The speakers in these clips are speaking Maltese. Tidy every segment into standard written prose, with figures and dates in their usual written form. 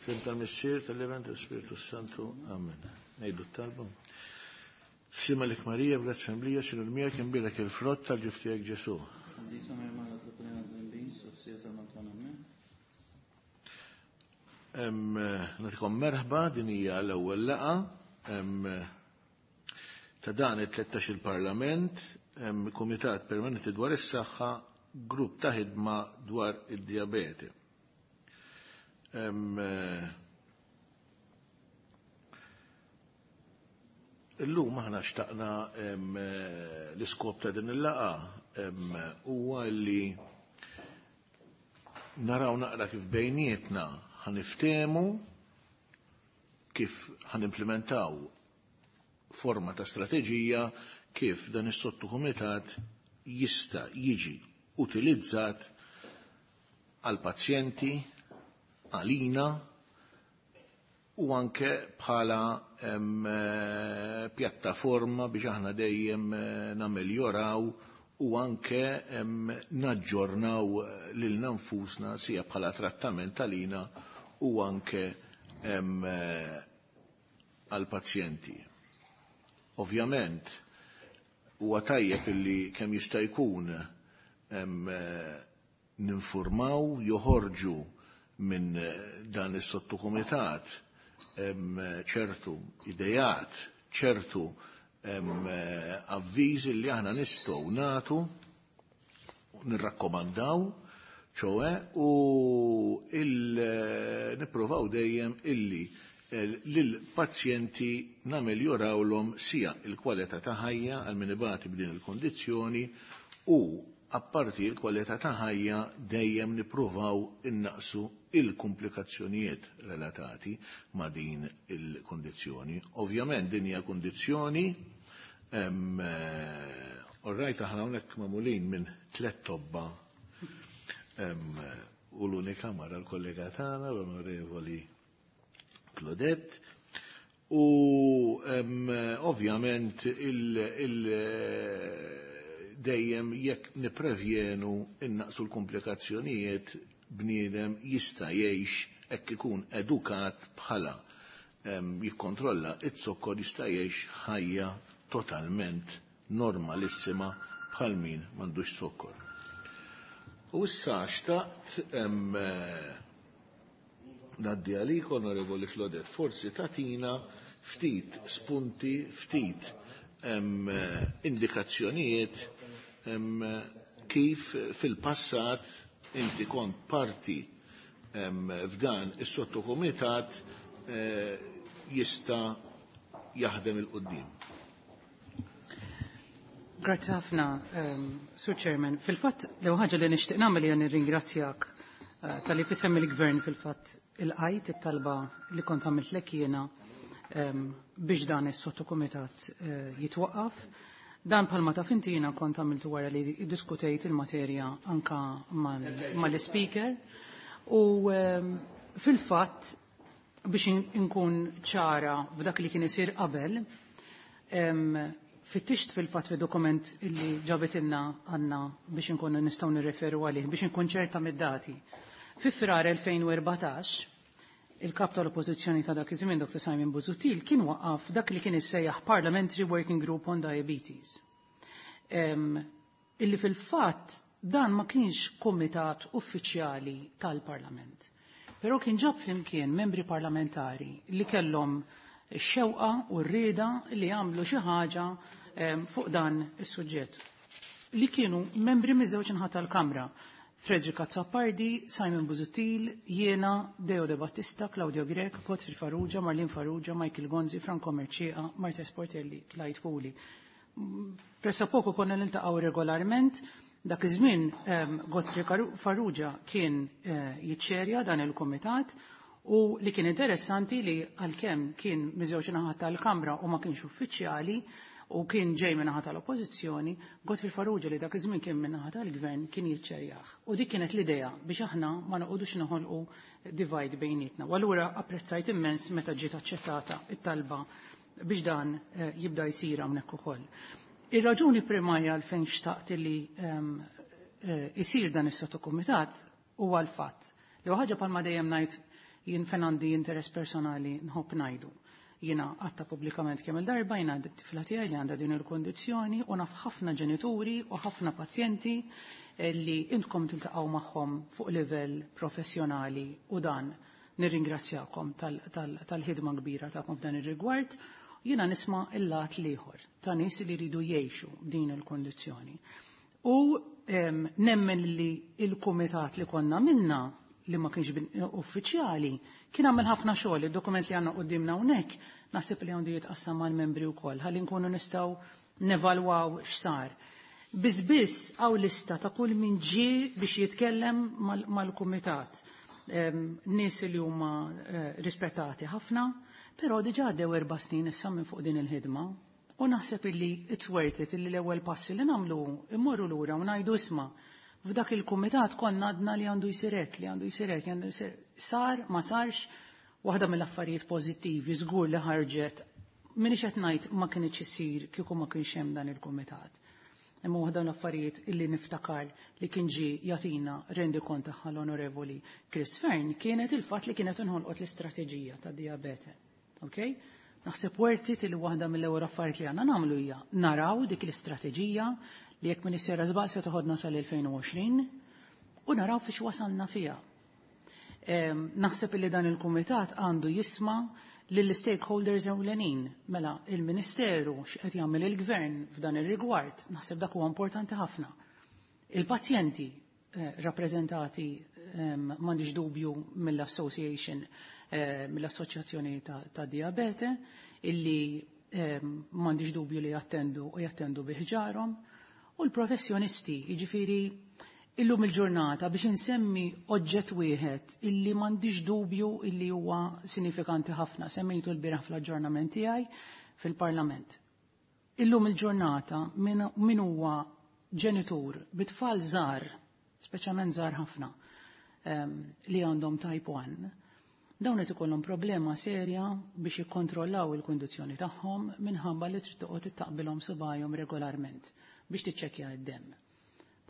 F'isem tal-Missier, tal-Iben, tal-Spiritu Santu. Amen. Ngħidu t-talba. Slima lek Marija, b'grazzja mimlija, Sinjur miegħek imbierek il-frott tal-ġuf tiegħek Ġesù. Qaddisa Marija Malla tlob għalina d-dnubin, issa f'siegħa tal-mewt tagħna. Amen. Nagħtikom merħba, din hija l-ewwel laqgħa ta' dan it-13 il-Parlament, Kumitat Permanenti dwar is-Saħħa, Grupp ta' Ħidma dwar id-Dijabete. Illum aħna xtaqna l-iskop ta' din il-laqgħa huwa li naraw naqra kif bejnietna ħaniftehmu kif ħanimplementaw forma ta' strateġija kif dan is-sottokumitat jista' jiġi utilizzat għall-pazjenti, għalina u anke bħala pjattaforma biex aħna dejjem nameljoraw u anke naġġornaw lilna nfusna sija bħala trattament għalina u anke għall-pazjenti. Ovvjament, huwa tajjeb illi kemm jista' jkun ninfurmaw, joħorġu minn dan is-sottokumitat ċertu ideat, ċertu avviżi li aħna nistgħu nagħtu, nirrakkomandaw, ċoe, u nippruvaw dejjem illi lill-pazjenti nameljorawlhom sija il-kwalità ta' ħajja għal min ibati b'din il-kondizzjoni u apparti l-kwalità ta' ħajja dejjem nippruvaw innaqsu il-komplikazzjonijiet relatati ma' din il-kondizzjoni. Ovvjament din hija kondizzjoni orrajt aħna hawnhekk magħmulin minn tliet tobba u l-unika mara l-kollega tagħna l-Onorevoli Claudette u ovvjament dejjem jekk niprevjenu innaqsu l-komplikazzjonijiet bniedem jista' jgħix hekk ikun edukat bħala jikkontrolla it-zokkor jista' jgħix ħajja totalment normalissima bħal min m'għandux zokkor. U issa xtaqt ngħaddi għalik, Onorevoli Claudette, forsi tagħtina ftit spunti, ftit indikazzjonijiet kif fil-passat inti kont parti f'dan is-sottokumitat jista' jaħdem il-qoddim. Grazzi ħafna, Sur Chairman. Fil-fatt, l ħaġa li nixtieq nagħmel hija nirringrazzjak talli f'isem il-Gvern fil-fatt il-qajt it-talba li kont għamilt jiena biex dan is-sottokumitat jitwaqqaf. Dan bħalma taf inti jiena kont għamiltu wara li diskutejt il-materja anka mal-speaker. U fil-fatt biex inkun ċara f'dak li kien isir qabel, fittixt fil-fatt fi dokument illi ġabitilna għanna biex inkunu nistgħu nirreferu għalih biex inkun ċerta mid-dati. Fi Frar 2014, il-kap tal-oppożizzjoni ta' dak iż-żmien Dr. Simon Busuttil kien waqqaf dak li kien issejjaħ Parliamentary Working Group on Diabetes. Illi fil-fatt dan ma kienx komitat uffiċjali tal-Parlament. Però kien ġab flimkien membri parlamentari li kellhom x-xewqa u r-rieda li jagħmlu xi ħaġa fuq dan is-suġġett. Li kienu membri miż-żewġ naħat tal-Kamra. Frederick Azzopardi, Simon Busuttil, jiena, Deo De Battista, Claudio Grech, Godfrey Farrugia, Marlene Farrugia, Michael Gonzi, Franco Mercieca, Marta Sportelli, Clyde Puli. Pressappoco konna niltaqgħu regolarment, dak iż-żmien Godfrey Farrugia kien jiċċerja dan il-kumitat u li kien interessanti li għalkemm kien miż-żewġ naħat tal-Kamra u ma kienx uffiċjali u kien ġej minn naħa tal-Oppożizzjoni, Godfrey Farrugia li dak iż-żmien kien minn naħa tal-Gvern kien jiċċerjah. U dik kienet l-idea biex aħna ma noqogħdux noħolqu divide bejnietna. U allura apprezzajt immens meta ġiet aċċettata it-talba biex dan jibda jsir hawnhekk ukoll. Ir-raġuni primarja għalfejn xtaqt li isir dan is-sottokumitat huwa l-fatt li ħaġa bħalma dejjem ngħid Jien fejn għandi interess personali nħobb ngħidu. Jiena għedtha pubblikament kemm il-darba, jiena għandi tifla tiegħi li għandha din il-kondizzjoni u naf ħafna ġenituri u ħafna pazjenti li intkom tiltaqgħu magħhom fuq livell professjonali u dan nirringrazzjakom tal-ħidma kbira tagħkom f'dan ir-rigward. Jiena nisma' il-lat l-ieħor ta' nies li jridu jgħixu din il-kondizzjoni. U nemmen li il-kumitat li konna minna li ma kienx uffiċjali kien għamel ħafna xogħol. Id-dokument li għandna qudiemna hawnhekk naħseb li għandu jitqassam mal-membri wkoll ħalli nkunu nistgħu nevalwaw x'sar. Biss biss hawn lista ta' kull min ġie biex jitkellem mal-kumitat. Nies li huma rispettati ħafna, però diġà għaddew 4 snin issa minn fuq din il-ħidma. U naħseb illi it's worth it illi l-ewwel passi li nagħmlu immorru lura u ngħidu, "Isma', f'dak il-kumitat konna għadna li għandu jsir hekk, li għandu jsir hekk, li għandu jsir." Sar, ma sarx? Waħda mill-affarijiet pożittivi żgur li ħarġet, minix qed ngħid ma kienx isir kieku ma kienx hemm dan il-kumitat. Imma waħda l-affarijiet illi niftakar li kien ġie jagħtina rendi kont tagħha l-Onorevoli Chris Fearne kienet il-fatt li kienet inħolqot l-istrateġija ta' diabete. Okay? Naħseb worth it li waħda mill-ewwel affarijiet li għandna nagħmlu hija naraw dik l-istrateġija li, jekk m'iniex sejra żball, se toħodna sal-2020 u naraw fiex wasalna fiha. Naħseb li dan il-kumitat għandu jisma' lill-stakeholders ewlenin, mela il-Ministeru, x'qed jagħmel il-Gvern f'dan ir-rigward, naħseb dak huwa importanti ħafna. Il-pazjenti rappreżentati, m'għandix dubju, mill-association, mill-assoċjazzjoni ta' diabete, illi m'għandix dubju li jattendu u jattendu bi ħġarhom, u l-professjonisti. Jiġifieri illum il-ġurnata, biex insemmi oġġett wieħed illi m'għandix dubju illi huwa sinifikanti ħafna, semmejtu l-bieraħ fl-aġġornament tiegħi fil-Parlament. Illum il-ġurnata min huwa ġenitur bit-tfal żgħar, speċjalment żgħar ħafna, li għandhom type 1, dawn qed ikollhom problema serja biex jikkontrollaw il-kundizzjoni tagħhom minħabba li trid toqgħod ittaqbilhom subajhom regolarment biex tiċċekkja d-demm.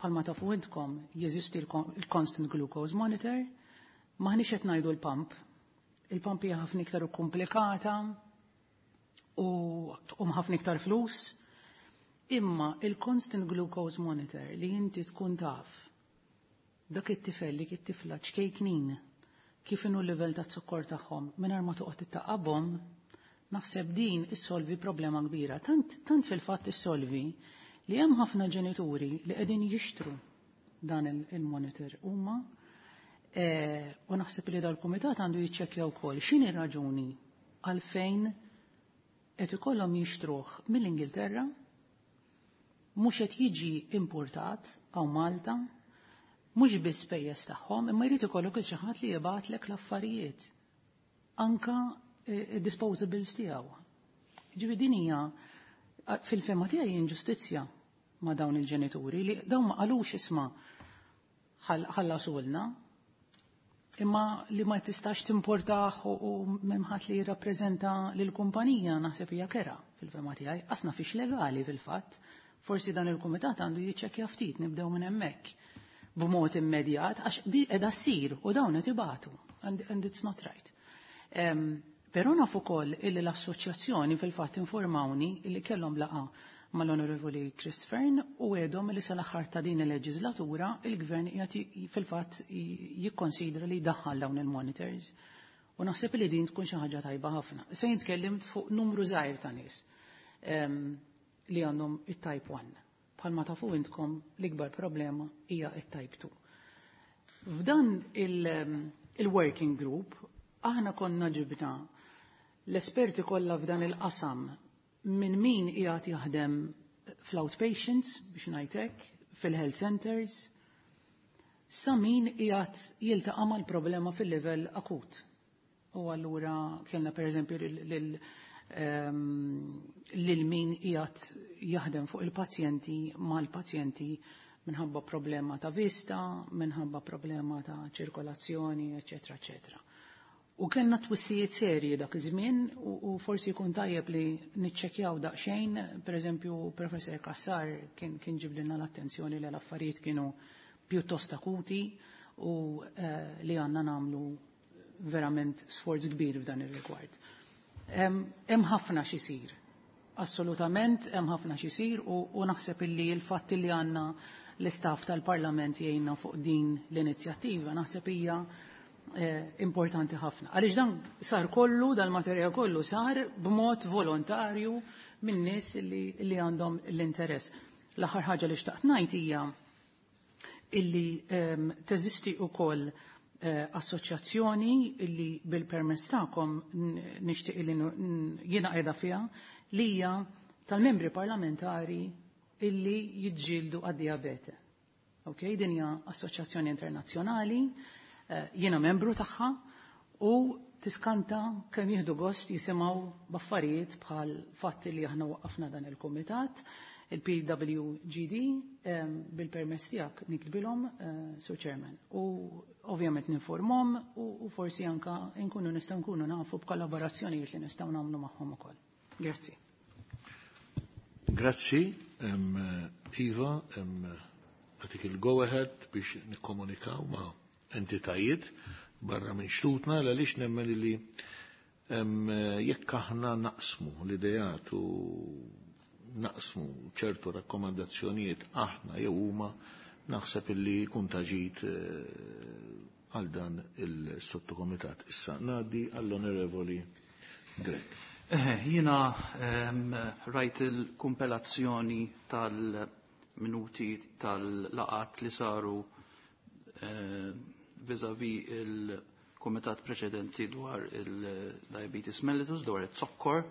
Bħalma tafu intkom, jeżisti il-constant glucose monitor, maħniex qed ngħidu l-pump. Il-pump hija ħafna iktar komplikata u tqum ħafna iktar flus. Imma il-constant glucose monitor li inti tkun taf dak it-tifel li it-tifla ċkejknin kif inhu l-livell ta' zokkor tagħhom mingħajr ma toqgħod ittaqabhom, naħseb din issolvi problema kbira. Tant, tant fil-fatt issolvi li hemm ħafna ġenituri li qegħdin jixtru dan il-monitor huma u naħseb li dal-kumitat għandu jiċċekkja wkoll x'inhi raġuni għalfejn qed ikollhom jixtruh mill-Ingilterra, mhux qed jiġi importat hawn Malta, mhux biss spejjeż tagħhom, imma jrid ikollok il xi ħadd li jibgħatlek l-affarijiet. Anka disposables tiegħu. Ġifieri din hija fil-fehma tiegħi inġustizzja ma' dawn il-ġenituri li dawn ma qalux, "Isma', ħallasulna," imma li ma tistax timportaħ u m'hemmx li jirrappreżenta lill-kumpanija naħseb hija kerha fil-fehma tiegħi, qasna fix legali fil-fatt. Forsi dan il-kumitat għandu jiċċekkja ftit, nibdew minn hemmhekk b'mod immedjat, għax di qiegħda ssir u dawn qed ibatu and it's not right. Però naf ukoll illi l-assoċjazzjoni fil-fatt informawni illi kellhom laqgħa mal-Onorevoli Chris Fearne u għedhom li sal-aħħar ta' din il-leġislatura il-Gvern qiegħed fil-fatt jikkonsidra li jdaħħal dawn il-monitors. U naħseb li din tkun xi ħaġa tajba ħafna. Se jintkellimt fuq numru żgħir ta' nies li għandhom it-type 1. Bħalma tafu intkom, l-ikbar problema hija it-type 2. F'dan il-working group aħna konna ġibna l-esperti kollha f'dan il-qasam, minn min qiegħed jaħdem fl-outpatients, biex ngħidlek, fil-health centers, sa min qiegħed jiltaqa' mal-problema fil-livell akut. U allura kellna pereżempju lil min qiegħed jaħdem fuq il-pazjenti, mal-pazjenti minħabba problema ta' vista, minħabba problema ta' ċirkolazzjoni, eccetera, eccetera. U kellna twissijiet serji dak iż-żmien u forsi jkun tajjeb li niċċekkjaw daqsxejn, pereżempju Professor Kassar kien ġibdilna l-attenzjoni li l-affarijiet kienu pjuttost akuti u li għandna nagħmlu verament sforz kbir f'dan ir-rigward. Hemm ħafna x'isir. Assolutament hemm ħafna x'isir u naħseb illi l-fatt li għandna l-istaff tal-Parlament jgħinna fuq din l-inizjattiva naħseb hija importanti ħafna. Għaliex dan sar kollu, dal-materjal kollu sar b'mod volontarju minn nies li għandhom l-interess. L-aħħar ħaġa li xtaqt ngħid hija illi teżisti wkoll assoċjazzjoni illi bil-permess tagħkom nixtieq illi jiena qiegħda fiha li hija tal-membri parlamentari illi jiġġieldu għad-diabete. Ok, din hija assoċjazzjoni internazzjonali, jiena membru tagħha u tiskanta kemm jieħdu gost jisimgħu b'affarijiet bħal fatt li aħna waqqafna dan il-kumitat, il-PWGD, bil-permess tiegħek niktbilhom, Sur Chairman. U ovvjament ninformhom u forsi anka nkunu nistgħu nkunu nafu b'kollaborazzjonijiet li nistgħu nagħmlu magħhom ukoll. Grazzi. Grazzi, Iva, għatik il-go ahead biex nikkomunikaw ma' entitajiet barra minn xtutna, għaliex nemmen li jekk aħna naqsmu l-idejat u naqsmu ċertu rakkomandazzjonijiet aħna jew huma, naħseb illi jkun taġit għal dan il-sottokomitat. Issa ngħaddi għall-Onorevoli Grech. Jiena rajt il-kumpilazzjoni tal-minuti tal-laqat li saru vis-a-vis il-komitat preċedenti dwar il-diabetes mellitus, dwar it-zokkor,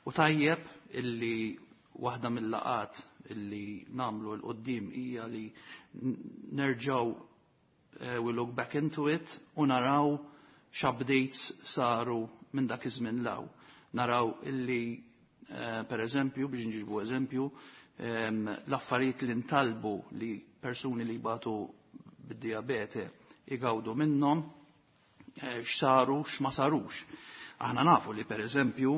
u tajjeb illi waħda mill-laqat illi namlu l-qoddim hija li nerġaw we look back into it u naraw x'updates saru minn dak iż-żmien law. Naraw illi per eżempju, biex nġibu eżempju, l-affarijiet li ntalbu li persuni li jbatu bid-diabete igawdu minnhom, x'saru, x'ma sarux. Aħna nafu li per eżempju,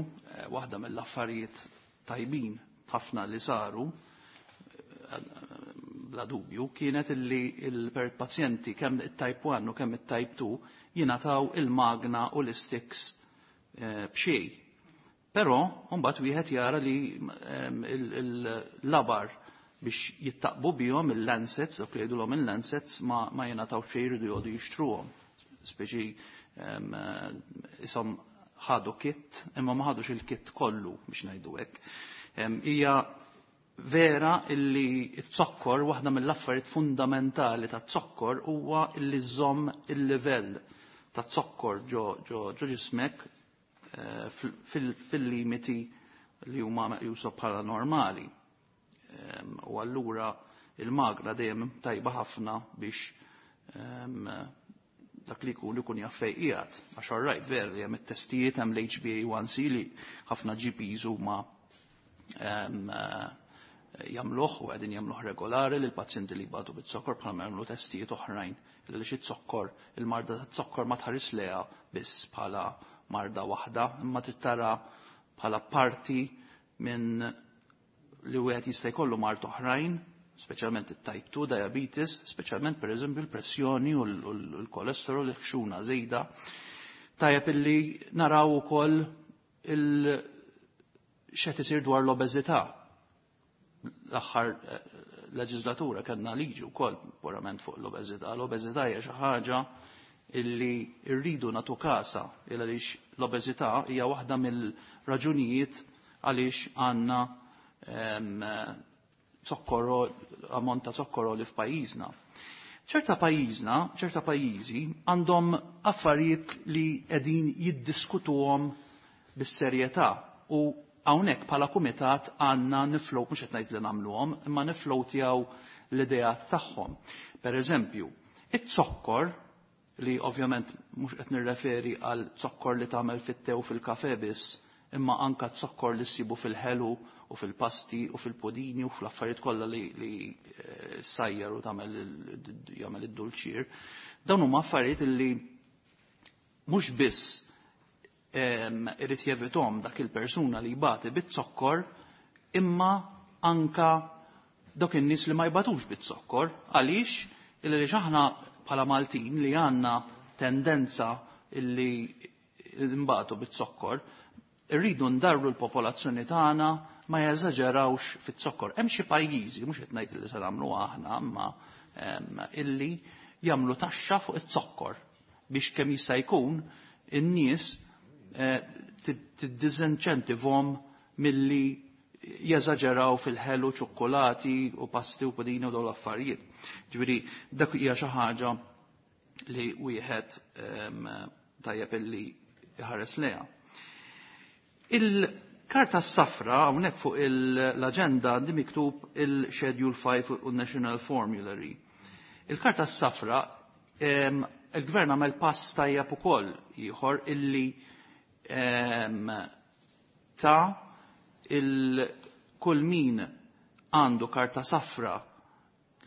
waħda mill-affarijiet tajbin ħafna li saru, bla dubju, kienet illi il-pazjenti kemm it-type 1 u kemm it-type 2 jingħataw il-magna u l-sticks b'xejn. Però mbagħad wieħed jara li il-labar biex jittaqbu bihom il-lancets, u jgħidulhom il-lancets, ma jingħataw xejn, jridu jgħodu jixtruhom. Speċi isom ħadu kit, imma ma ħadux il-kit kollu biex ngħidu hekk. Hija vera illi t-zokkor, waħda mill-affarijiet fundamentali ta' zokkor huwa illi żomm il-livell ta' zokkor ġo ġismek fil-limiti li huma meqjusa bħala normali. U allura il-magra dejjem tajba ħafna biex dak li jkun ikun jaf fejn qiegħed. Għax alright vera li hemm it-testijiet, hemm l-HbA1c li ħafna GPs huma jagħmluh u qegħdin jagħmluh regolari lil pazjenti li jbatu bit-zokkor bħalma jagħmlu testijiet oħrajn. Li xi zokkor, il-marda ta' zokkor ma tħares leha biss bħala marda waħda, imma tittara bħala parti minn li wieħed jista' jkollu mard oħrajn, speċjalment it-type 2 diabetes, speċjalment per eżempju l-pressjoni u l-kolesterol, il-ħxuna żejda. Tajjeb illi naraw ukoll x'qed isir dwar l-obeżità. L-aħħar leġislatura kellna liġi wkoll purament fuq l-obeżità. L-obeżità hija xi ħaġa illi rridu nagħtu kasa, għaliex l-obeżità hija waħda mill-raġunijiet għaliex għandna ammont ta' zokkor li f'pajjiżna. ċerta pajjiżna, ċerta pajjiżi għandhom affarijiet li qegħdin jiddiskutuhom bis-serjetà u hawnhekk bħala kumitat għandna niflow, mhux qed ngħid li nagħmluhom, imma niflowtjaw l-ideat tagħhom. Per eżempju, it-zokkor li ovvjament mhux qed nirreferi għal zokkor li tagħmel fit-te u fil-kafe biss, imma anka zokkor li ssibu fil-ħelu u fil-pasti u fil-pudini u fl-affarijiet kollha li sajjar u tagħmel jagħmel id-dulċir. Dawn huma affarijiet li mhux biss irid jevithom dak il-persuna li jbati bit-zokkor, imma anka dawk in-nies li ma jbatux bit-zokkor. Għaliex? Illi aħna bħala Maltin li għandna tendenza illi nbatu bit-zokkor, irridu ndarru l-popolazzjoni tagħna ma jeżaġerawx fit-zokkor. Hemm xi pajjiżi, mhux qed ngħid li se nagħmlu aħna, imma illi jagħmlu taxxa fuq it-zokkor biex kemm jista' jkun in-nies tiddiżinċentivhom milli jeżaġeraw fil-ħelu, ċokkolati u pasti u pudini u dawn l-affarijiet. Ġifieri dak hija xi ħaġa li wieħed tajjeb illi jħares lejha. Il-karta s-safra hawnhekk fuq l-aġenda għandi miktub il-Schedule 5 u National Formulary. Il-karta s-safra, il-gvern għamel pass tajjeb ukoll ieħor illi ta' kull min għandu karta safra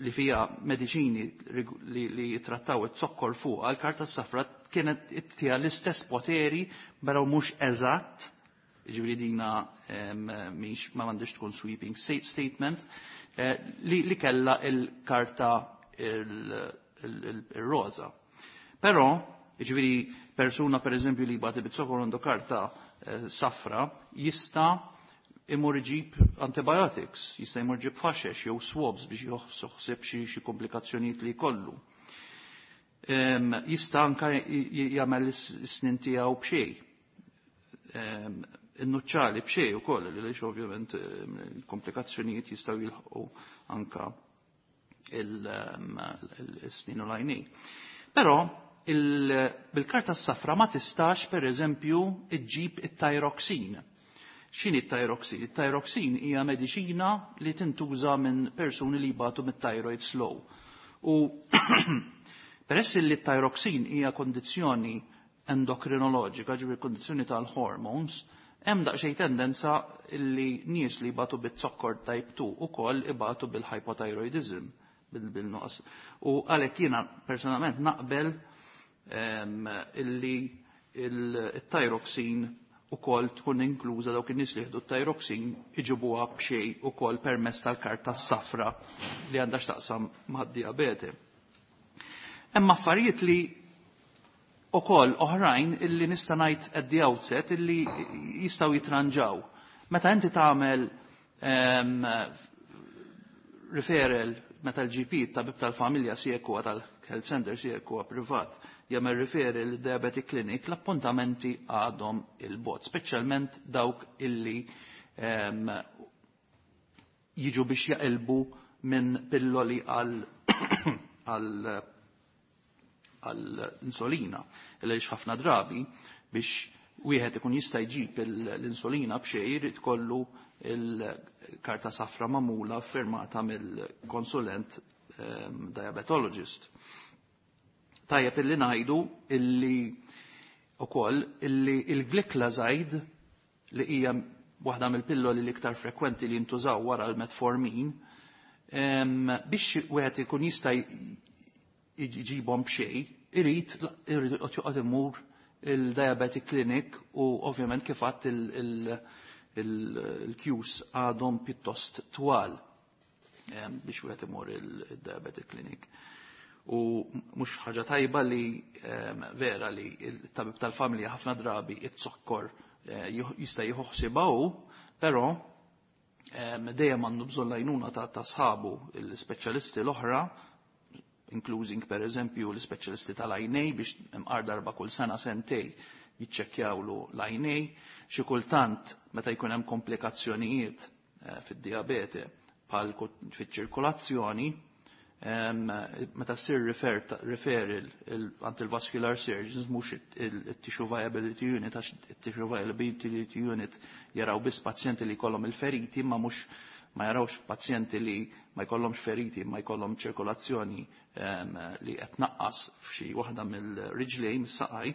li fija mediċini li jitrattaw it-zokkor fuq, għal-karta safra kienet ittija l-istess poteri, però mhux eżatt, ġifieri dina mhix ma m'għandix tkun sweeping statement, li kella il-karta il-roza. Però, ġifieri persuna per eżempju li bati bit-zokkor għandu karta safra jista' imur iġib antibiotics, jista' jmur iġib faxex jew swabs biex joħseb xi komplikazzjonijiet li jkollu. Jista' anka jagħmel is-snin tiegħu b'xejn. In-nuċċali b'xejn ukoll, li għaliex ovvjament il-komplikazzjonijiet jistgħu jilħqu anka il-snin u l-għajnejn. Però bil-karta s-safra ma tistax per eżempju iġġib it-thyroxine. X'inhi t-thyroxine? It-thyroxine hija mediċina li tintuża minn persuni li jbatu mit-thyroid slow. U peress li t-thyroxine hija kondizzjoni endokrinoloġika, ġifieri kondizzjoni tal-hormones, hemm daqsxejn tendenza li nies li jbatu bit-zokkor type 2 ukoll ibatu bil-hypothyroidism, bil-nuqqas. U għalhekk jiena personalment naqbel illi il-thyroxine ukoll tkun inkluża, dawk in-nies li jieħdu t-thyroxine iġibuha b'xejn ukoll permezz tal-karta s-safra li għandha x'taqsam mad-diabete. Hemm affarijiet li ukoll oħrajn illi nista' ngħid at the outset illi jistgħu jitranġaw. Meta inti tagħmel referral, meta l-GP, tabib tal-familja, sieku tal-health center, sieku privat, jagħmel referral diabetic clinic, l-appuntamenti għadhom il-bogħod, speċjalment dawk illi jiġu biex jaqilbu minn pilloli għal insulina. Għaliex ħafna drabi biex wieħed ikun jista' jġib l-insulina b'xejn jrid kollu il-karta safra magħmula firmata mill-konsulent diabetologist. Tajjeb illi ngħidu illi ukoll illi il-gliclazide, li hija waħda mill-pilloli l-iktar frekwenti li jintużaw wara l-metformin, biex wieħed ikun jista' jġibhom b'xejn, irid joqgħod imur il-diabetic clinic u ovvjament kif għadt il-queues għadhom pjuttost twal biex wieħed imur il-diabetic clinic. U mhux ħaġa tajba li vera li il-tabib tal-familja ħafna drabi it-zokkor jista' jieħu ħsiebha, però dejjem għandu bżonn l-għajnuna ta' sħabu l-speċjalisti l-oħra, including per eżempju l-speċjalisti tal-għajnej biex imqar darba kull sena sentej jiċċekkjawlu l-għajnej, xi kultant meta jkun hemm komplikazzjonijiet fid-diabete bħal fiċ-ċirkolazzjoni, meta ssir referral għand il-vascular surgeons, mhux il-tissue viability unit, għax il-tissue viability unit jaraw biss pazjenti li jkollhom il-feriti, ma mhux ma jarawx pazjenti li ma jkollhomx feriti ma jkollhom ċirkolazzjoni li qed naqqas f'xi waħda mill-riġlejn, mis-saqaj.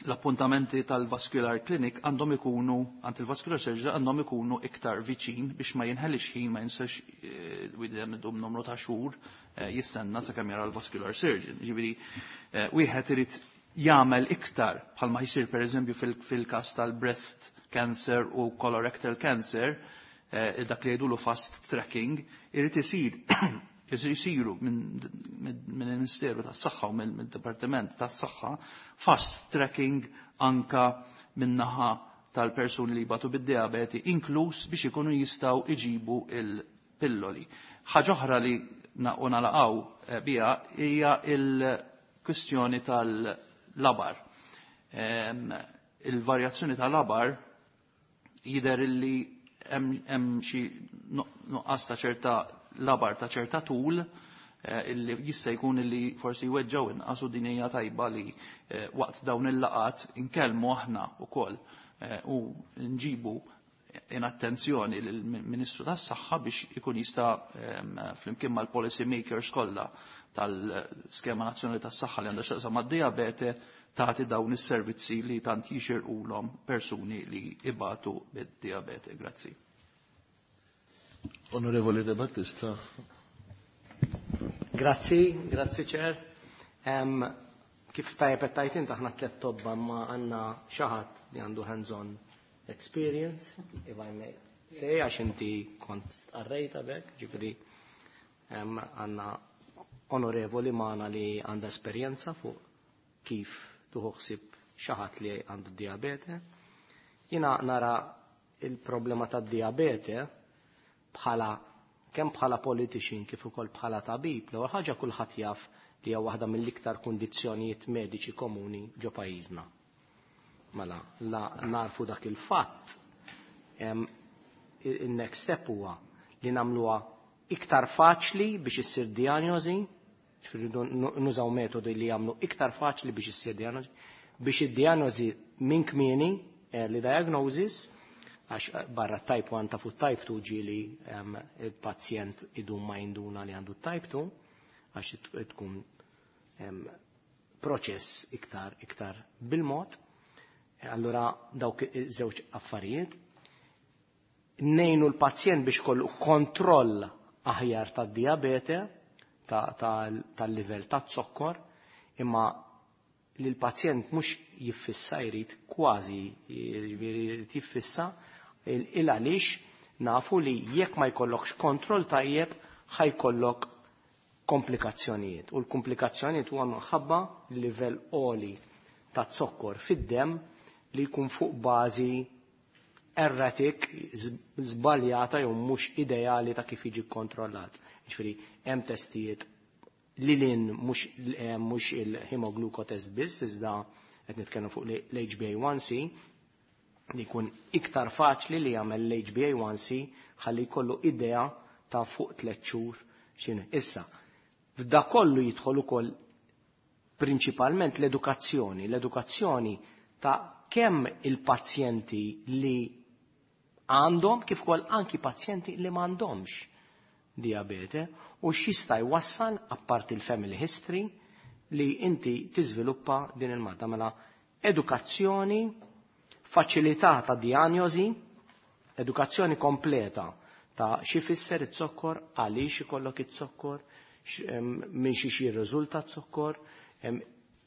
L-appuntamenti tal-vascular clinic għandhom ikunu, għand il-vascular surgery, għandhom ikunu iktar viċin biex ma jinħelix ħin, ma jinsax wieħed idum numru ta' xhur jistenna sakemm jara l-vascular surgeon. Ġifieri wieħed irid jagħmel iktar bħalma jsir pereżempju fil-każ tal-breast cancer u colorectal cancer, dak li jgħidulu fast tracking, irid isir. Jisiru mill-Ministeru tas-Saħħa u mill-Dipartiment tas-Saħħa fast tracking anka min-naħa tal-persuni li jbatu bid-diabeti, inkluż biex ikunu jistgħu iġibu il-pilloli. Ħaġa oħra li nalaqgħu biha hija il-kwistjoni tal-labar. Il-varjazzjoni tal-labar jidher illi hemm xi nuqqas ta' ċerta labar ta' ċerta tul illi jista' jkun illi forsi jweġġgħu inqas, u din hija tajba li waqt dawn il-laqat inkellmu aħna wkoll u nġibu in attenzjoni lill-Ministru tas-Saħħa biex ikun jista' flimkien mal-policy makers kollha tal-Skema Nazzjonali tas-Saħħa li għandha x'taqsam mad-diabete tagħti dawn is-servizzi li tant jixirqulhom persuni li ibatu bid-diabete. Grazzi. Onorevoli De Battista. Grazzi, grazzi, Chair. Kif tajjeb qed tajt int, aħna tliet tobba, ma għandna xi ħadd li għandu hands-on experience, if I may say, għax inti kont stqarrejta bek, ġifieri għandna onorevoli magħna li għandha esperjenza fuq kif tieħu ħsieb xi ħadd li għandu diabete. Jiena nara il-problema tad-diabete bħala kemm bħala politician kif ukoll bħala tabib, l-ewwel ħaġa, kulħadd jaf li hija waħda mill-iktar kundizzjonijiet mediċi komuni ġo pajjiżna. Mela, la narfu dak il-fatt, il-next step huwa li nagħmluha iktar faċli biex issir diagnosi, ġifieri nużaw metodi li jagħmlu iktar faċli biex issir diagnosi, biex id-diagnosi minn kmieni, early diagnosis, għax barra type 1 ta' fuq type 2 ġieli il-pazjent idum ma jinduna li għandu type 2, għax tkun proċess iktar iktar bil-mod. Allura dawk iż-żewġ affarijiet. Ngħinu l-pazjent biex kollu kontroll aħjar tad-diabete, tal-livell ta' zokkor, imma li l-pazjent mhux jiffissa, jrid kważi jrid jiffissa il għaliex nafu li jekk ma jkollokx kontroll tajjeb, ħa jkollok komplikazzjonijiet. U l-komplikazzjonijiet huwa minħabba livell għoli ta' zokkor fid-dem li jkun fuq bażi erratic, żbaljata jew mhux ideali ta' kif jiġi kontrollat. Ġifieri hemm testijiet li lin mhux il-hemogluco test biss, iżda qed nitkellem fuq l-HbA1c li jkun iktar faċli li jagħmel l-HbA1c ħalli jkollu idea ta' fuq 3 xhur x'inhu. Issa, f'da kollu jidħol ukoll prinċipalment l-edukazzjoni, l-edukazzjoni ta' kemm il-pazjenti li għandhom kif ukoll anki pazjenti li m'għandhomx diabete u x'jista' jwassal, apparti il-family history, li inti tiżviluppa din il-marda. Mela edukazzjoni, faċilità ta' diagnosi, edukazzjoni kompleta ta' xi fisser it-zokkor, għaliex ikollok it-zokkor, minn xi xi jirriżulta zokkor,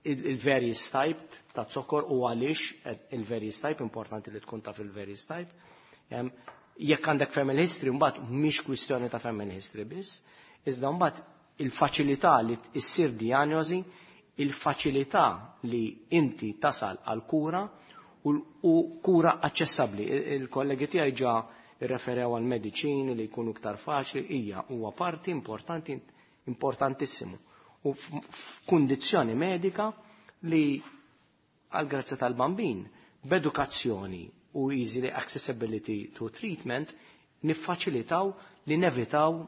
il-various type ta' zokkor u għaliex il-various type, importanti li tkun taf il-various type. Jekk għandek family history, mbagħad mhix kwistjoni ta' family history biss, iżda mbagħad il-faċilità li issir diagnosi, il-faċilità li inti tasal għal kura u kura aċċessabbli. Il-kollegi tiegħi ġa irreferew għal mediċini li jkunu iktar faċli, hija huwa parti importanti, importantissimu. U f'kundizzjoni medika li għal grazzja tal-Bambin, b'edukazzjoni u easily accessibility to treatment, niffaċilitaw li nevitaw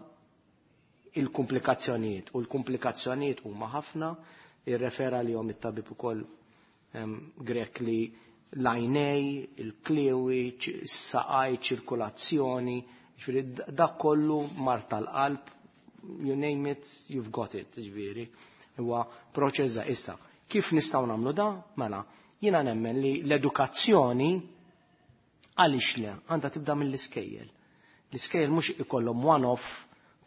il-komplikazzjonijiet. U l-komplikazzjonijiet huma ħafna, irrefera li jom it-tabib ukoll Grech li l-għajnej, il-kliewi, s-saqaj, ċirkolazzjoni, ġifieri dak kollu, mard tal-qalb, you name it, you've got it, ġifieri. Huwa proċess issa. Kif nistgħu nagħmlu da? Mela, jiena nemmen li l-edukazzjoni, għaliex le, għandha tibda mill-iskejjel. L-iskejjel mhux ikollhom one-off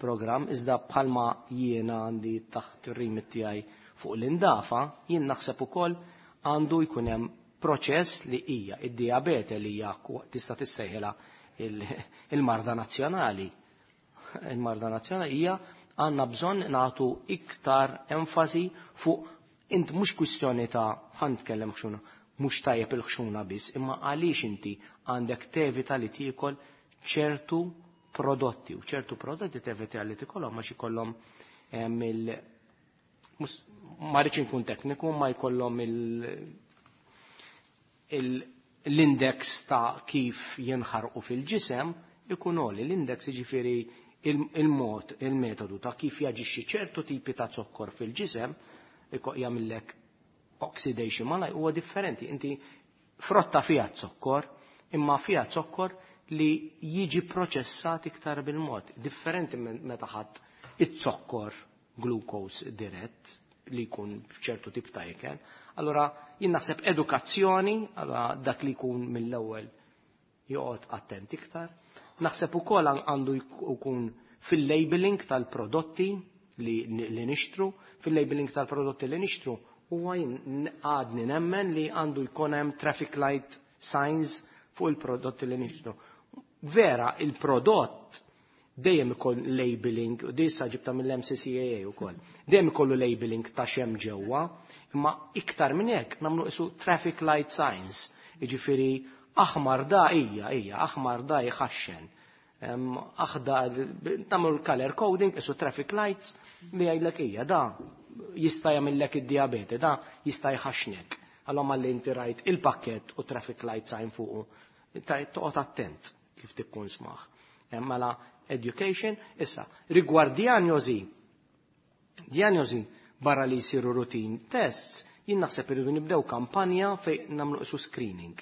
program, iżda bħalma jiena għandi taħt ir-remit tiegħi fuq l-indafa, jien naħseb ukoll għandu jkun hemm proċess li hija id-diabete li hija tista' tissejħilha il-marda nazzjonali. Il-marda nazzjonali hija Għandna bżonn nagħtu iktar enfasi fuq int mhux kwistjoni ta' ħa nitkellem ħxuna, mhux tajjeb il-ħxuna biss, imma għaliex inti għandek tevita li tiekol ċertu prodotti u ċertu prodotti tevita li tikolhom għax ikollhom il ma rridx inkun tekniku ma jkollhom l-index ta' kif jinħarqu fil-ġisem ikun għoli. L-index jiġifieri il-mod, il-metodu ta' kif jaġixxi ċertu tipi ta' zokkor fil-ġisem jagħmillek oxidation malaj huwa differenti. Inti frotta fiha zokkor, imma fiha zokkor li jiġi proċessat iktar bil-mod. Differenti meta ħadd it-zokkor glucose dirett li jkun f'ċertu tip ta' ikel. Allora jien naħseb edukazzjoni, allora dak li jkun mill-ewwel joqgħod attent iktar. Naħseb ukoll għandu jkun fil-labeling tal-prodotti li nixtru, fil-labeling tal-prodotti li nixtru huwa għadni nemmen li għandu jkun hemm traffic light signs fuq il-prodotti li nixtru. Vera, il-prodott dejjem ikun labeling, u disa ġibta mill-MCCAA ukoll, dejjem ikollu labeling ta' x'hemm ġewwa, imma iktar minn hekk nagħmlu isu traffic light signs, jiġifieri aħmar da hija, hija, aħmar da jħaxxen. Aħdar, tagħmlu l-color coding, isu traffic lights, li jgħidlek hija, da jista' jagħmillek id-diabete, da jista' jħaxxnek. Allora malli inti rajt il-pakket u traffic light sign fuqu, toqgħod attent kif tikkun smaħ. Mela education, issa, rigward diagnosi, diagnosi barra li jisiru routine tests, jien naħseb irridu nibdew kampanja fejn nagħmlu isu screening.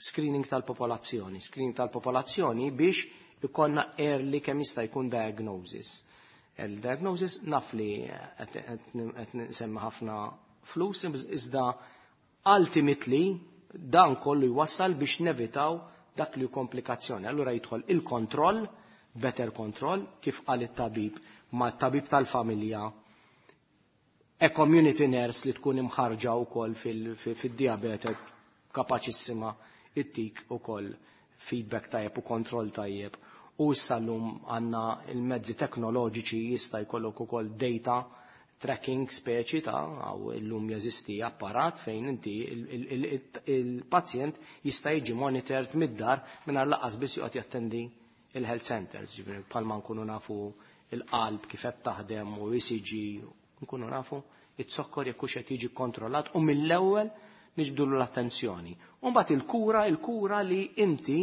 Screening tal-popolazzjoni, screening tal-popolazzjoni biex ikonna early kemm jista' jkun diagnosis. Early diagnosis naf li qed nsemmi ħafna flus, iżda ultimately dan kollu jwassal biex nevitaw dak li komplikazzjoni. Allura jidħol il-kontroll, better control, kif qal it-tabib ma' tabib tal-familja, a community nurse li tkun imħarġa wkoll fil-diabete kapaċissima ittik ukoll feedback tajjeb u kontroll tajjeb. U issa llum għandna il-mezzi teknoloġiċi jista' jkollok ukoll data tracking speċi ta' għaw illum jeżisti apparat fejn inti il-pazjent jista' jiġi monitored mid-dar mingħajr lanqas biss joqgħod jattendi il-health centers, ġifieri bħalma nkunu nafu il-qalb kif qed taħdem u ECG, nkunu nafu it-sokkor jekk hux qed jiġi kontrollat u mill-ewwel niġbdulu l-attenzjoni. U mbagħad il-kura, il-kura li inti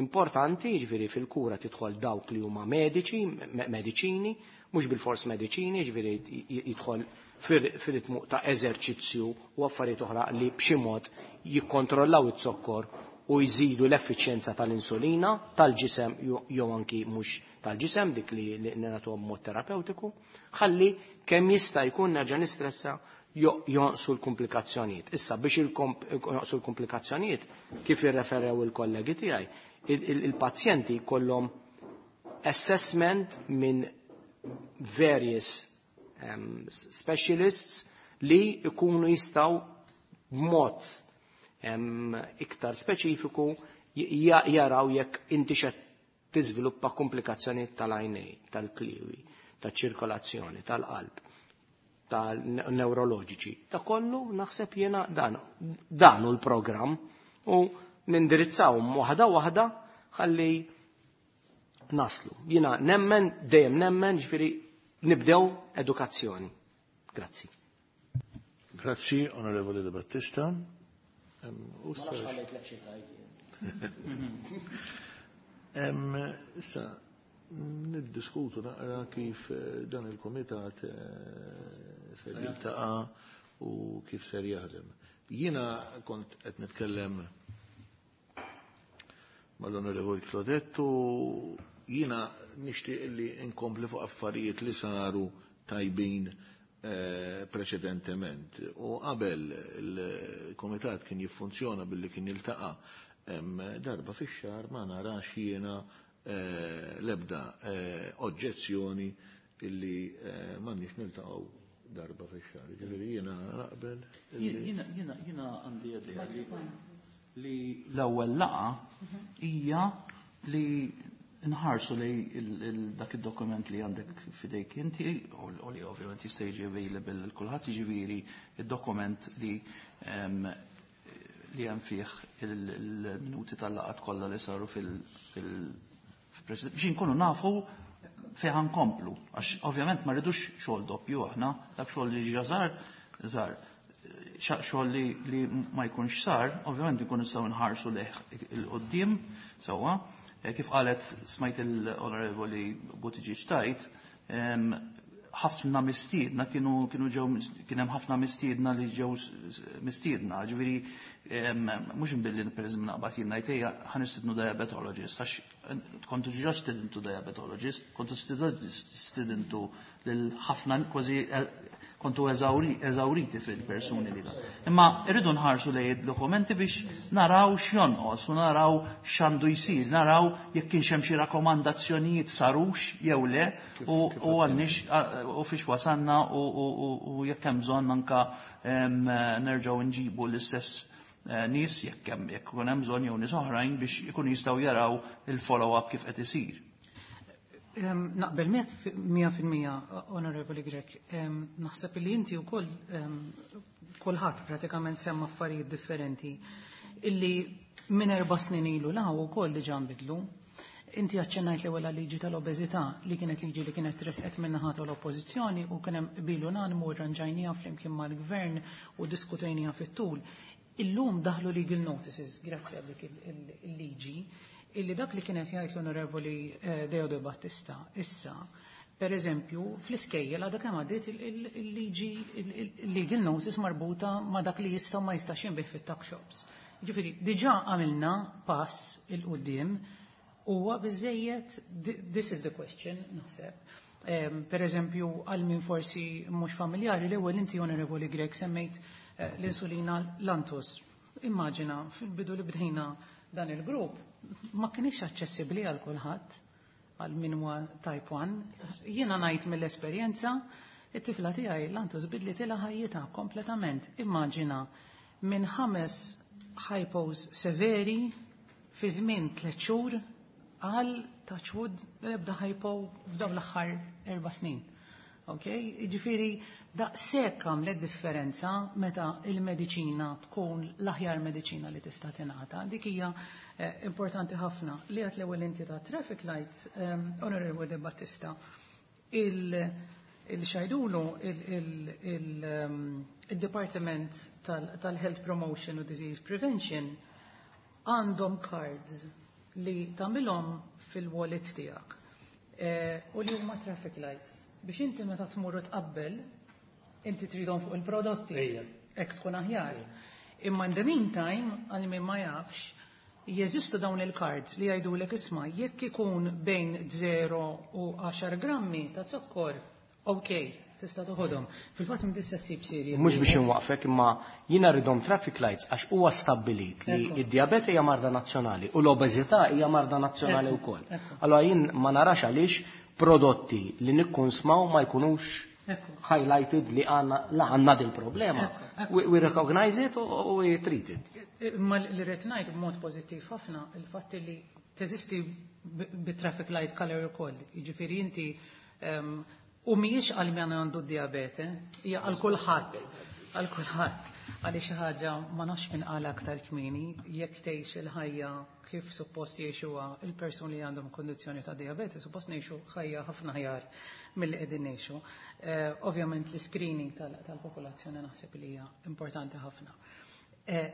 importanti, ġifieri fil-kura tidħol dawk li huma mediċi, mediċini, mhux bil-fors mediċini, ġifieri jidħol fir-ritmu ta' eżerċizzju u affarijiet oħra li b'xi mod jikkontrollaw it-sokkor u jżidu l-effiċjenza tal-insulina tal-ġisem jew anki mhux tal-ġisem dik li nagħtuhom mod terapeutiku, ħalli kemm jista' jkun nerġa' nistressa jonqsu l-komplikazzjonijiet. Issa biex jonqsu l-komplikazzjonijiet, kif irreferew il-kollegi tiegħi, il-pazjenti jkollhom assessment minn various specialists li jkunu jistgħu b'mod iktar speċifiku jaraw jekk inti xed tiżviluppa komplikazzjoni tal-għajnej, tal-kliwi, tal-ċirkolazzjoni, tal-qalb, tal-neuroloġiċi. Ta' kollu naħseb jiena dan hu l-programm u nindirizzawhom waħda waħda ħalli naslu. Jiena nemmen, dejjem nemmen, ġifieri nibdew edukazzjoni. Grazzi. Grazzi, Onorevole De Battista. Ma nafx ħallejt lek xi tgħid. Issa, niddiskutu naqra kif dan il-komitat ser jiltaqa' u kif ser jaħdem. Jiena kont qed nitkellem mal-Onorevoli Claudette u jiena nixtieq li nkompli fuq affarijiet li saru tajbin preċedentement. U qabel il-komitat kien jiffunzjona billi kien jiltaqa' darba fix-xahar, ma narax jiena l-ebda oġġezzjoni illi m'għandniex niltaqgħu darba fix-xahar. Ġifieri jiena naqbel. Jiena għandi idea li l-ewwel laqgħa hija li nħarsu lejn dak id-dokument li għandek fidejk inti, u li ovvjament jista' jiġi available lil kulħadd, jiġifieri id-dokument li li hemm fih il-minuti tal-laqgħat kollha li saru fil-President biex inkunu nafu fejn nkomplu, għax ovvjament ma rridux xogħol doppju aħna, dak xogħol li ġa sar, sar. Xogħol li ma jkunx sar, ovvjament ikun nistgħu nħarsu lejh 'il quddiem sewwa. Kif qalet smajt il-Onorevoli Buttigieg tajt, ħafna mistiedna kienu ġew, kien hemm ħafna mistiedna li ġew mistiedna, ġifieri mhux billi pereżempju naqbad jien ngħid ejja ħa nistidnu diabetologist, għax kontu ġa stidintu diabetologist, kontu stidintu lil ħafna, kważi kontu eżawriti fil-persuni li da. Imma irridu nħarsu lejn id-dokumenti biex naraw x'jonqos u naraw x'għandu jsir, naraw jekk kienx hemm xi rakkomandazzjonijiet sarux jew le u għandniex u fiex wasanna u jekk hemm bżonn anka nerġgħu nġibu l-istess nies jekk hemm, jekk ikun hemm bżonn, jew nies oħrajn biex ikunu jistgħu jaraw il-follow-up kif qed isir. Naqbel 100%, Onorevoli Grech. Naħseb li inti wkoll, kulħadd pratikament semma affarijiet differenti illi minn 4 snin ilu 'l hawn ukoll diġà nbidlu. Inti aċċennajt l-ewwel liġi tal-obeżità, li kienet liġi li kienet tresqet min-naħa tal-oppożizzjoni u kien hemm qbil unanimu, rranġajniha flimkien mal-gvern u diskutejniha fit-tul. Illum daħlu legal notices grazzi għal dik il-liġi illi dak li kienet jgħid l-Onorevoli Deo De Battista issa, per eżempju, fl-iskejjel għadha kemm għaddiet il-liġi, il-legal notice marbuta ma' dak li jista' ma jistax jinbiegħ fit-tuck shops. Ġifieri, diġà għamilna pass 'il quddiem. Huwa biżejjed? This is the question, naħseb. Per eżempju, għal min forsi mhux familjari, l-ewwel inti, Onorevoli Grech, semmejt l-insulina Lantus. Immaġina, fil-bidu li bdejna dan il-grupp, ma kienx aċċessibbli għal kulħadd, għal min huwa type 1. Jiena ngħid mill-esperjenza, it-tifla tiegħi Lantus bidlitilha ħajjitha kompletament. Immaġina, minn ħames hypos severi fi żmien 3 xhur għal, touch wood, ebda hypo f'dawn l-aħħar 4 snin. Ok? Ġifieri, daqshekk għamlet differenza meta il-mediċina tkun l-aħjar mediċina li tista' tingħata. Dik hija importanti ħafna. Li għedt l-ewwel inti ta' traffic lights, Onorevole De Battista, il-xajdulu il-Department tal-Health Promotion u Disease Prevention għandhom cards li tagħmilhom fil-wallet tiegħek u li huma traffic lights biex inti meta tmur u tqabbel, inti tridhom fuq il-prodotti. Hekk tkun aħjar. Imma in the meantime, għal min ma jafx, jeżistu dawn il-cards li jgħidulek, isma', jekk ikun bejn 0 u 10 grammi ta' zokkor, ok, tista' toħodhom. Fil-fatt m'intix tista' ssib siri. Mhux biex inwaqfek, imma jiena rridhom traffic lights għax huwa stabbilit li id-diabete hija marda nazzjonali u l-obeżità hija marda nazzjonali wkoll. Allora jien ma narax għaliex prodotti li nikkonsmaw ma jkunux highlighted li għandna la għandna din problema. We recognize it u we treat it. Imma li rrid ngħid b'mod pożittiv ħafna il-fatt li teżisti bi-traffic light color ukoll. Jiġifieri inti u mhijiex għal min għandu diabete, hija għal kulħadd. Għal kulħadd. Għaliex xi ħaġa ma nafx min qal aktar kmieni, jekk tgħix il-ħajja kif suppost jgħixuha il-persuni li għandhom kondizzjoni ta' diabete, suppost ngħixu ħajja ħafna aħjar milli qegħdin ngħixu. Ovvjament l-screening tal-popolazzjoni naħseb li hija importanti ħafna.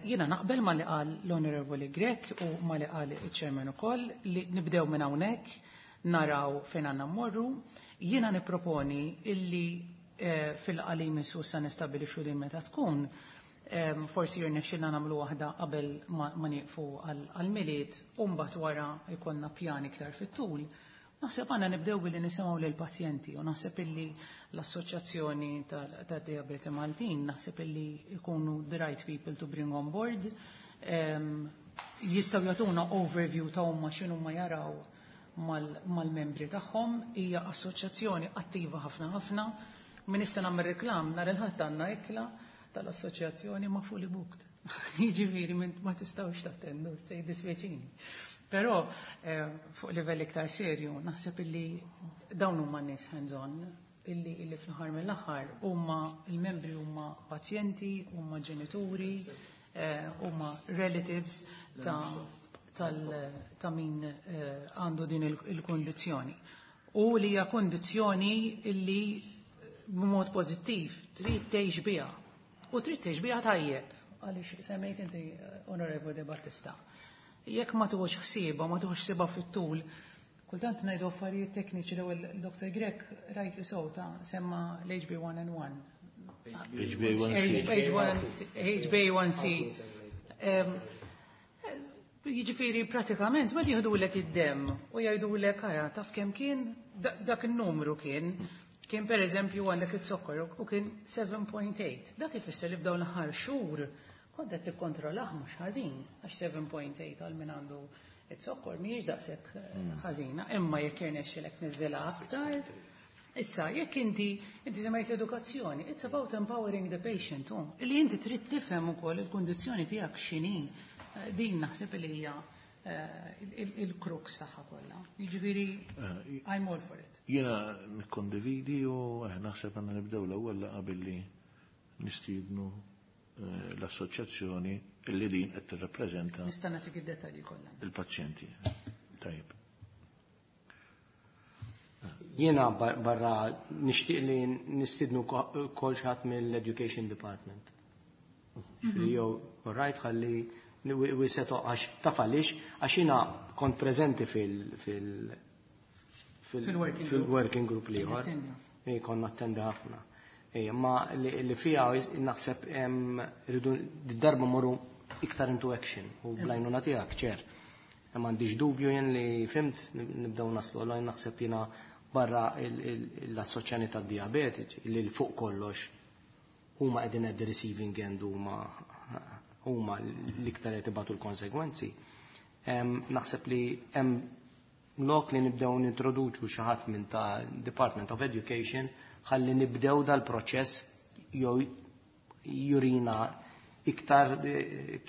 Jiena naqbel ma li qal l-Onorevoli Grech u ma li qal il-Chairman ukoll li nibdew minn hawnhekk, naraw fejn għandna mmorru. Jiena nipproponi illi fil-qalim sa nistabilixxu din meta tkun, forsi jirnexxilna nagħmlu waħda qabel ma nieqfu għal-Milied u mbagħad wara jkollna pjan iktar fit-tul. Naħseb għandna nibdew billi nisimgħu lill-pazjenti u naħseb illi l-Assoċjazzjoni tad-Diabete Maltin naħseb illi jkunu the right people to bring on board. Jistgħu jagħtuna overview ta' huma x'inhu ma jaraw mal-membri tagħhom. Hija assoċjazzjoni attiva ħafna ħafna. Min issa nagħmel reklam, nhar il-Ħadd għandna ikla tal-assoċjazzjoni ma' fully booked. Jiġifieri ma tistgħux tattendu, se jiddispjaċini. Però fuq livell iktar serju, naħseb illi dawn huma nies hands-on, illi fl-aħħar mill-aħħar huma il-membri, huma pazjenti, huma ġenituri, huma relatives ta' min għandu din il-kondizzjoni. U li hija kondizzjoni illi b'mod pożittiv trid tgħix biha. U trid tgħix biha tajjeb, għaliex semmejt inti, Onorevole De Battista. Jekk ma tuħux ħsieba, ma tuħux ħsieba fit-tul, kultant ngħidu affarijiet tekniċi, l-ewwel Dr. Grech rajt li sowta semma l-HB1N1. HbA1c. HbA1c. Jiġifieri pratikament ma jieħdulek id-demm u jgħidulek, "Ara, taf kemm kien dak in-numru, kien pereżempju għandek it-zokkor u kien 7.8." Dak ifisser li f'dawn l-aħħar xhur kont qed tikkontrollah mhux ħażin, għax 7.8 għal min għandu it-zokkor mhijiex daqshekk ħażina, imma jekk irnexxilek niżilha aktar. Issa, jekk inti semmejt l-edukazzjoni, it's about empowering the patient, li inti trid tifhem ukoll il-kundizzjoni tiegħek x'inhi. Din naħseb li hija il-crux tagħha kollha. Jiġifieri I'm all for it. Jiena nikkondividi u naħseb għandna nibdew l-ewwel laqgħa billi nistiednu l-assoċjazzjoni illi din qed tirrappreżenta Nista' nagħtik id-dettalji kollha. il-pazjenti. Tajjeb. Jiena barra nixtieq li nistidnu kol xi ħadd mill-Education Department. Ġifieri jew right ħalli we set għax taf għaliex, għax jiena kont preżenti fil-working group. Fil-working group l-ieħor. Attenda. Ej, konna attenda ħafna. Ej, ma li fija naħseb rridu darba morru iktar into action u bl-għajnuna tiegħek, ċer. Ma għandix dubju jien li fimt nibdew naslu, għallu jien naħseb jiena barra l-assoċjani tad-diabetiċi li fuq kollox huma qegħdin at the receiving end, huma l-iktar qed ibatu l-konsegwenzi. Naħseb li hemm lok li nibdew nintroduċu xi ħadd minn ta' Department of Education ħalli nibdew dal-proċess jew jurina iktar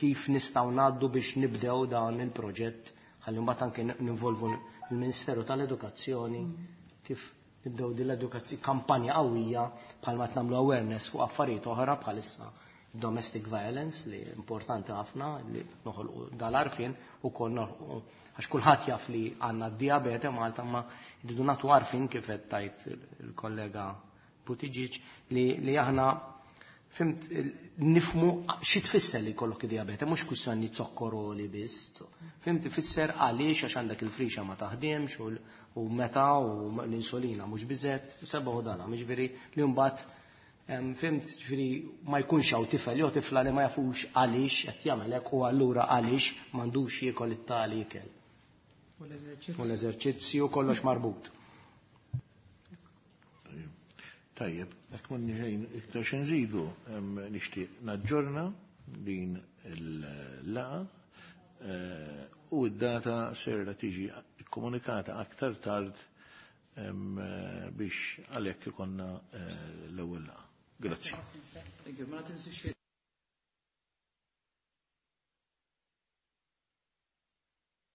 kif nistgħu ngħaddu biex nibdew dan il-proġett, ħalli mbagħad anke ninvolvu l-Ministeru tal-Edukazzjoni kif nibdew din l-edukazzjoni, kampanja qawwija bħalma qed nagħmlu awareness fuq affarijiet oħra bħalissa, domestic violence, li importanti ħafna li noħolqu dal-għarfien u kol noħolqu, għax kulħadd jaf li għandna d-diabete Malta, ma rridu nagħtu għarfien kif qed tajt il-kollega Buttigieg li aħna fimt nifmu xi tfisser li jkollok id-diabete, mhux kwistjoni zokkor li biss. Fimt ifisser għaliex, għax għandek il-frixa ma taħdimx u meta u l-insulina mhux biżżejjed, seba' u dana, jiġifieri li mbagħad fimt, ġifieri ma jkunx hawn tifel jew tifla li ma jafux għaliex qed jagħmel hekk u allura għaliex m'għandux jiekol it-tali ikel. U l-eżerċizzju. U l-eżerċizzju, kollox marbut. Tajjeb, jekk ma xejn iktar xi nżidu, nixtieq naġġorna din il-laqgħa u d-data serra tiġi komunikata aktar tard biex għalhekk ikonna l-ewwel laqgħa. Grazzi. Thank you. Ma tinsiex.